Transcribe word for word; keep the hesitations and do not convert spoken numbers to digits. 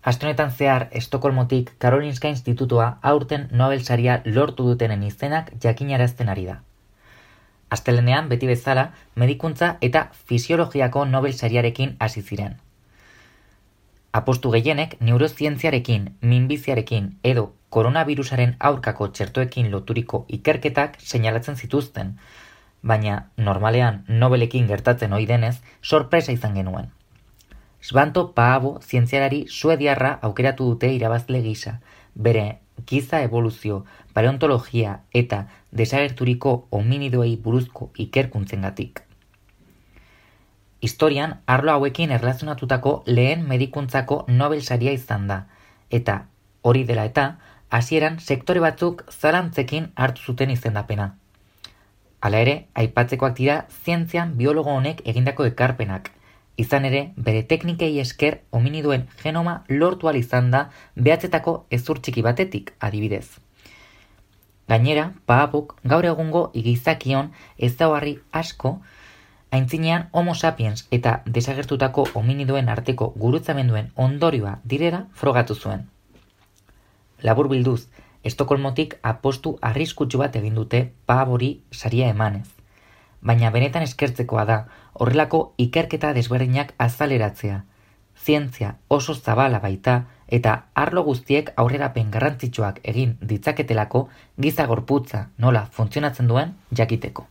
Aste honetan zehar, Estokolmotik Karolinska Institutua aurten Nobel saria lortu dutenen izenak jakinarazten ari da. Astelehenean, beti bezala, medikuntza eta fisiologiako Nobel sariarekin hasi ziren. Apostu gehienek neurozientziarekin, minbiziarekin edo koronavirusaren aurkako txertoekin loturiko ikerketak seinalatzen zituzten, baina normalean Nobelekin gertatzen ohi denez, sorpresa izan genuen. Svante Paavo zientzialari suediarra aukeratu dute irabazle gisa, bere giza evoluzio, paleontologia eta desagerturiko hominidoei buruzko ikerkuntzengatik. Historian, arlo hauekin erlazionatutako lehen medikuntzako Nobel saria izan da, eta hori dela eta, hasieran sektore batzuk zalantzekin hartu zuten izendapena. Hala ere, aipatzekoak dira zientzian biologo honek egindako ekarpenak, izan ere, bere teknikei esker hominidoen genoma lortu ahal izan da behatzetako hezur txiki batetik, adibidez. Gainera, Paavok gaur egungo gizakion ezaugarri asko, aintzinean Homo sapiens eta desagertutako hominidoen arteko gurutzamenduen ondorioa direla frogatu zuen. Labur bilduz, Estokolmotik apostu arriskutsu bat egin dute Paavori saria emanez. Baina benetan eskertzekoa da horrelako ikerketa desberdinak azaleratzea. Zientzia oso zabala baita eta arlo guztiek aurrerapen garrantzitsuak egin ditzaketelako giza gorputza nola funtzionatzen duen jakiteko.